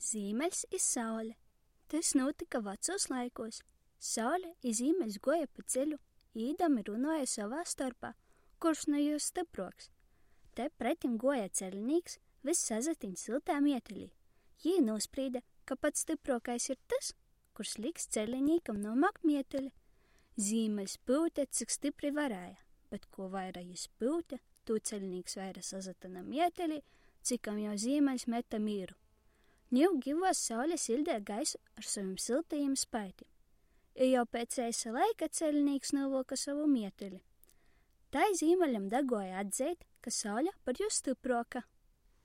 Zīmeļs i Saule. Tys nūtyka vacūs laikūs. Saule i Zīmeļs guoja pa ceļu, īdami runuoja sovā storpā, kurs nu jūs stypruoks. Te pretim guoja celinīks, vyss sasatiņs syltā mietelī. Jī nūsprīde, ka pats stypruokais ir tys, kurs liks celinīkam nūmaukt mieteli. Zīmeļs pyute, cik stypri varēja, bet kū vaira jis pyute, tū celinīks vaira sasatyna mietelī, cikom jau Zīmeļs mete mīru. Niu givuos Saule siļdeit gaisu ar sovim syltajim spaitim. I jau piec eisa laika celinīks nūvylka sovu mieteli. Tai Zīmeļam daguoja atzeit, ka Saule par jū stypruoka.